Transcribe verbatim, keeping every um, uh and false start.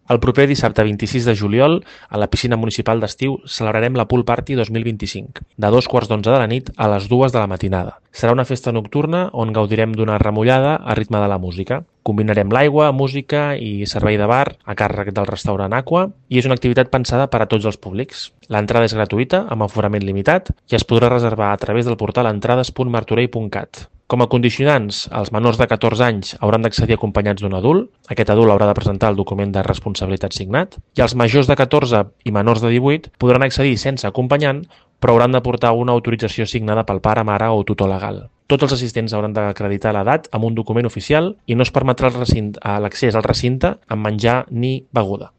El proper dissabte vint-i-sis de juliol, a la piscina municipal d'estiu, celebrarem la Pool Party dos mil vint-i-cinc, de dos quarts d'onze de la nit a les dues de la matinada. Serà una festa nocturna on gaudirem d'una remullada a ritme de la música. Combinarem l'aigua, música i servei de bar a càrrec del restaurant Aqua i és una activitat pensada per a tots els públics. L'entrada és gratuïta, amb aforament limitat, i es podrà reservar a través del portal entrades punt martorell punt cat. Com a condicionants, els menors de catorze anys hauran d'accedir acompanyats d'un adult, aquest adult haurà de presentar el document de responsabilitat signat, i els majors de catorze i menors de divuit podran accedir sense acompanyant, però hauran de portar una autorització signada pel pare, mare o tutor legal. Tots els assistents hauran d'acreditar l'edat amb un document oficial i no es permetrà l'accés al recinte amb menjar ni beguda.